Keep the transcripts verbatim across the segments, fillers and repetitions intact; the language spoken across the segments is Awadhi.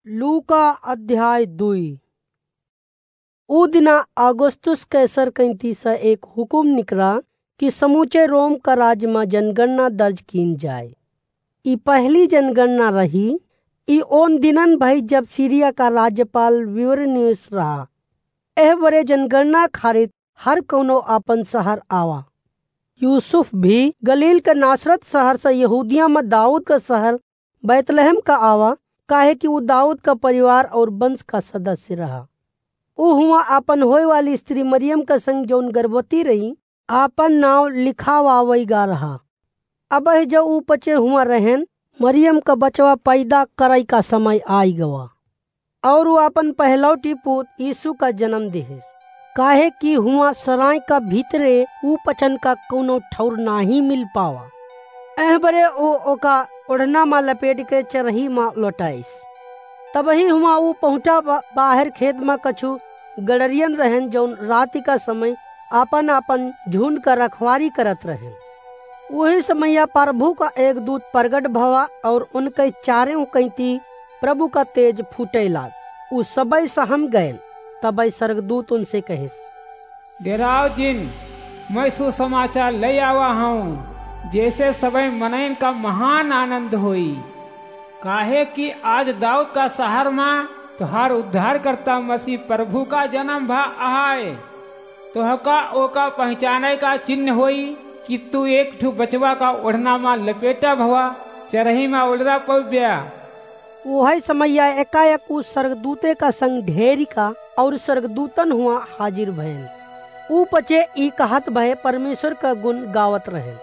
लूका अध्याय दुई। ऊ दिना अगुस्तुस कैसर कइँती से एक हुकुम निकरा कि समूचे रोम का राज मा जनगणना दर्ज कीन जाए। ई पहली जनगणना रही। ई ओन दिनन भई जब सीरिया का राज्यपाल क्विरिनियुस रहा। एह बरे जनगणना खारित हर कउनो आपन सहर आवा। यूसुफ भी गलील के नासरत सहर से यहूदिया मा दाऊद का सहर बैतलहम का आवा, काहे कि ऊ दाऊद का परिवार और वंश का सदस्य रहा। ऊ हुआँ आपन होए वाली स्त्री मरियम का संग जउन गर्भवती रही, आपन नाउँ लिखावावइ गा रहा। अबहिं जउ ऊ पचे हुआँ रहेन, मरियम का बचवा पैदा करइ का समय आइ गवा। और ऊ आपन पहलौटी पूत यीशु का जनम देहेस, काहे कि हुआँ सराय का भीतरे ऊ पचन का कउनो ठौर नाहीं मिल पावा। एह बरे ऊ ओका ओढ़ना मा लपेट के चरही मा लौटाइस। तबही हुआँ ऊ पहुँचा बा-, बाहर खेत मा कछु गड़रियन रहेन, जउन राति का समय आपन आपन झुंड का रखवारी करत रहेन। ओही समया प्रभु का एक दूत प्रगट भवा और उनके चारेउ कइँती प्रभु का तेज फूटइ लाग। ऊ सबइ सहम गएन। तबइ स्वर्गदूत उनसे कहेस, डेराव जिन, मैं सुसमाचार लइ आवा हूँ, जैसे सबइ मनइन का महान आनंद होई। काहे कि आज दाऊद का सहर मा तोहार उद्धारकर्ता मसीह प्रभु का जनम भा अहइ। तोहका ओका पहिचानइ का चिन्ह होई कि तू एक ठु बचवा का ओढ़ना मा लपेटा भवा, चरही मा उलरा पउब्या। ओहइ समया एकाएक ऊ स्वर्गदूते का संग ढेरिका और स्वर्गदूतन हुआँ हाजिर भएन। ऊ पचे ई कहत भए परमेश्वर का गुण गावत रहेन।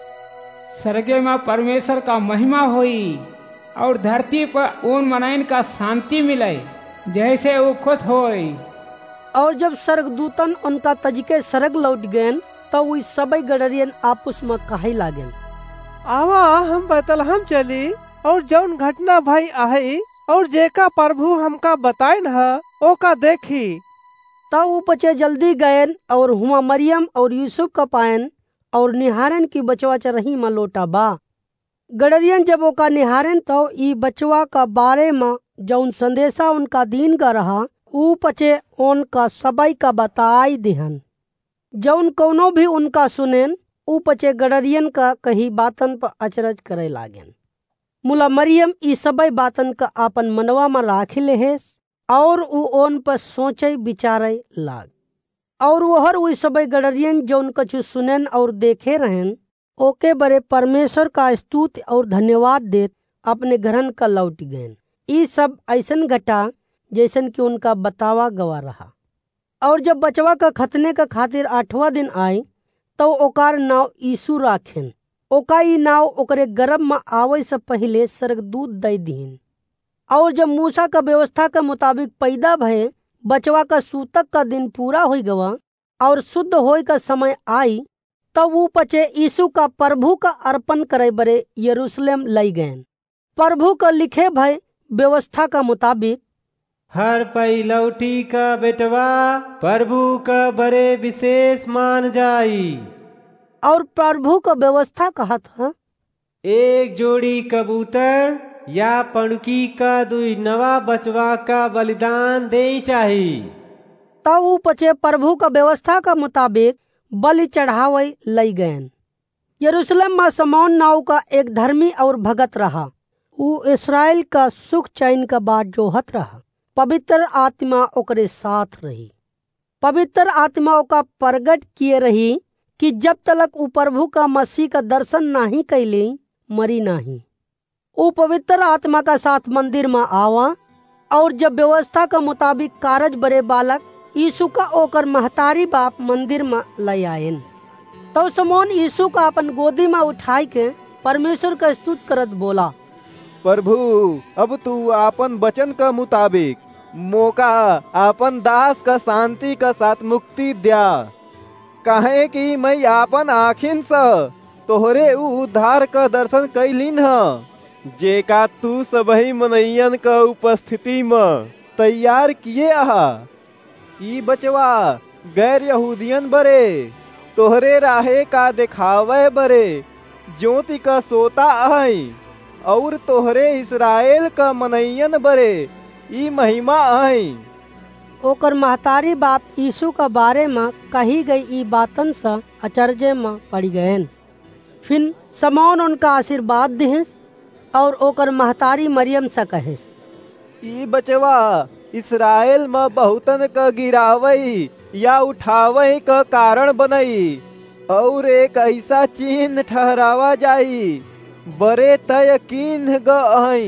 सरगे मा परमेश्वर का महिमा होई और धरती पर ओन मनइन का शांति मिलइ, जइसे ऊ खुस होई। और जब स्वर्गदूतन उनका तजिके सरग लौट गएन, तउ ऊ सबइ गड़रियन आपुस मा कहइ लागेन, आवा, हम बैतलहम चली और जउन घटना भई अहइ और जेका प्रभु हमका बताइन ह, ओका देखी। तउ ऊ पचे जल्दी गएन और हुआँ मरियम और यूसुफ का पाएन और निहारेन कि बचवा चरही मा लोटा बा। गड़रियन जब ओका निहारेन, तउ ई बचवा का बारे मा जउन संदेसा उनका दीन गा रहा, ऊ पचे ओनका सबइ का बताइ दिहन। जउन कउनो भी उनका सुनेन, ऊ पचे गड़रियन का कही बातन पर अचरज करइ लागेन। मुला मरियम ई सबइ बातन का आपन मनवा मा राखि लेहेस, और ऊ ओन पर सोचइ बिचारइ लाग। और ओहर ऊ सबइ गड़रियन जउन कछु सुनेन और देखे रहेन, ओके बरे परमेश्वर का स्तुति और धन्यवाद देत अपने घरन का लौटि गएन। ई सब अइसन घटा, जइसन कि उनका बतावा गवा रहा। और जब बचवा का खतने का खातिर आठवाँ दिन आइ, तउ ओकार नाउँ यीशु राखेन। ओका ई नाउँ ओकरे गरभ मा आवइ से पहिले स्वर्गदूत दइ दिहिन। और जब मूसा का व्यवस्था के मुताबिक पैदा भए बचवा का सूतक का दिन पूरा होइ गवा और शुद्ध होइ का समय आइ, तब ऊ पचे यीशु का प्रभु का अर्पण करइ बरे यरूशलेम लइ गएन। प्रभु का लिखे भए व्यवस्था का मुताबिक, हर पइलौठी का बेटवा प्रभु का बरे विशेष मान जाई। और प्रभु का व्यवस्था कहत ह, एक जोड़ी कबूतर या पणुकी का दुई नवा बचवा का बलिदान देई चाही। तब ऊ पचे प्रभु का व्यवस्था का मुताबिक बलि चढ़ावइ लइ गएन। यरूशलेम मा शमौन नाउँ का एक धर्मी और भगत रहा। ऊ इस्राएल का सुख चैन का बाट जोहत रहा। पवित्र आत्मा ओकरे साथ रही। पवित्र आत्मा ओका प्रगट किए रही कि जब तलक ऊ प्रभु का मसीह का दर्शन नाहीं कइले, मरी नाहीं। ऊ पवित्र आत्मा का साथ मंदिर मा आवा, और जब व्यवस्था का मुताबिक कारज बरे बालक यीशु का ओकर महतारी बाप मंदिर मा लइ आएन। तब शमौन यीशु का अपन गोदी मा उठाइके परमेश्वर का स्तुत करत बोला, प्रभु, अब तू आपन वचन का मुताबिक मोका आपन दास का शांति का साथ मुक्ति द्या, काहे कि मैं आपन आँखिन से तोहरे ऊ उद्धार का दर्शन कइलिन ह, जेका तू सबही मनइयन का उपस्थिति म तैयार किए अहा। ई बचवा गैर यहूदियन बरे तोहरे राहे का देखावे बरे ज्योति का सोता अहई, और तोहरे इस्राएल का मनइयन बरे ई महिमा अहइ। ओकर महतारी बाप यीशु का बारे म कही गई ई बातन स अचरजे म पड़ी गएन। फिन समौन उनका आशीर्वाद दिहिस और ओकर महतारी मरियम स कहिस, ई बचवा इस्राएल म बहुतन क गिरावइ या उठावइ क कारण बनइ, और एक अइसा चिन्ह ठहरावा जाई, बरे तय किन्ह ग अहइ,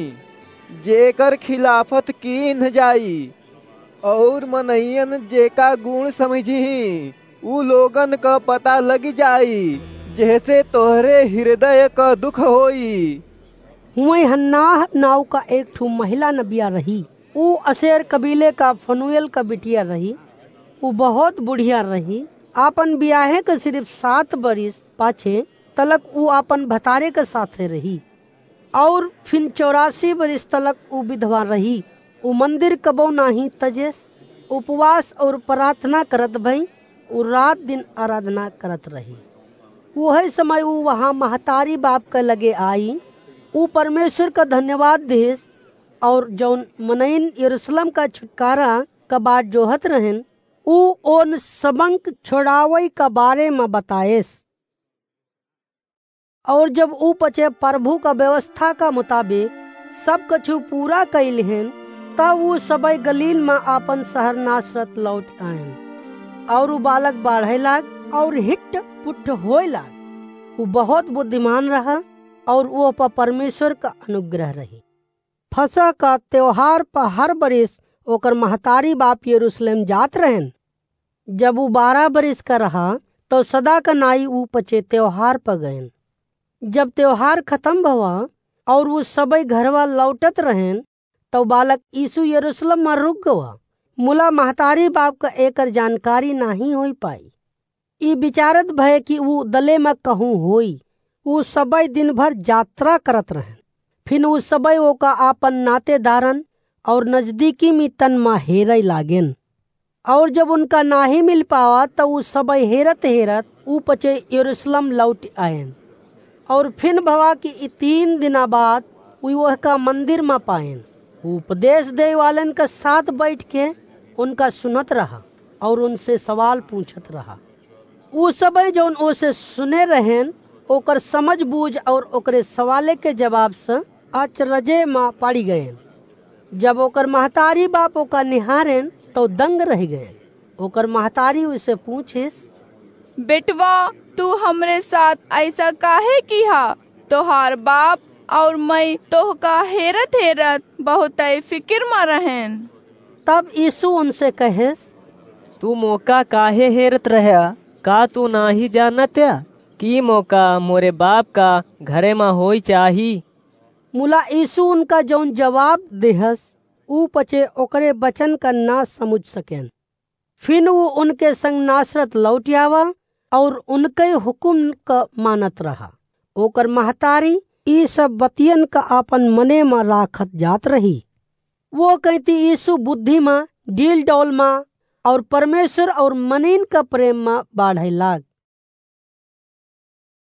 जेकर खिलाफत किन्ह जाई, और मनइयन जेका गुण समझिहीं, उ लोगन क पता लग जाई, जेहसे तोहरे हृदय क दुख होई। हुवइ हन्नाह नाव का एक ठू महिला नबिया रही। उ असेर कबीले का फनुएल का बिटिया रही। उ बहुत बुढ़िया रही। आपन बियाहे के सिर्फ सात बरिस पाछे तलक उ आपन भतारे के साथे रही। और फिन चौरासी बरिस तलक उ विधवा रही। उ मंदिर कबो नाहीं तजेस। उपवास और प्रार्थना करत भई उ रात दिन आराधना करत रही। उहइ समय उ वहाँ महतारी बाप के लगे आई। उ परमेश्वर का धन्यवाद दिहिस और जौन मनइन यरूशलेम का छुटकारा का बाट जोहत रहेन, उ ओन सबंक छोड़ावइ का बारे म बताएस। और जब उ पचे प्रभु का व्यवस्था का मुताबिक सब कछु पूरा कइ लिहेन, तब उ सबइ गलील म आपन शहर नासरत लौट आएन। और उ बालक बाढ़े लाग और हिट पुट होए लाग। उ बहुत बुद्धिमान रहा और ओह पर परमेश्वर का अनुग्रह रही। फसह का त्योहार पर हर बरिस ओकर महतारी बाप यरूशलेम जात रहेन। जब उ बारह बरिस का रहा, तौ सदा का नाई उ पचे त्योहार पर गएन। जब त्योहार खतम भवा और उ सबइ घरवा लौटत रहेन, तौ बालक यीशु यरूशलेम म रुक गवा। मुला महतारी बाप का एकर जानकारी नाहीं होइ पाई। ई विचारत भए कि उ दले म कहूँ होई। उ सबइ दिन भर यात्रा करत रहेन। फिन उ सबइ ओका आपन नातेदारन और नजदीकी मितन म हेरइ लागेन। और जब उनका नाहीं मिल पावा, त उ सबइ हेरत हेरत उ पचे यरूशलेम लौट आएन। और फिन भवा कि ई तीन दिना बाद उ ओहका मंदिर म पाएन। उ उपदेश देइ वालन का साथ बैठ के उनका सुनत रहा और उनसे सवाल पूछत रहा। उ सबइ जौन ओसे सुने रहेन, ओकर समझ बूझ और ओकरे सवाले के जवाब से अचरजे म पड़ी गएन। जब ओकर महतारी बाप ओका निहारेन, तौ दंग रहि गएन। ओकर महतारी उसे पूछिस, बेटवा, तू हमरे साथ अइसा काहे किहा? तोहार बाप और मई तोहका हेरत हेरत बहुतइ फिकिर म रहेन। तब यीशु उनसे कहेस, तू मोका काहे हेरत रह्या? का तू नाहीं जानत या कि मोका मोरे बाप का घरे म होई चाही? मुला यीशु उनका जौन जवाब देहस, उ पचे ओकरे वचन का ना समुझ सकेन। फिन उ उनके संग नासरत लौटि आवा और उनके हुकुम क मानत रहा। ओकर महतारी ई सब बतियन क आपन मने म राखत जात रही। वो कइती यीशु बुद्धि म, डील डौल म और परमेश्वर और मनीन क प्रेम म बाढ़इ लाग।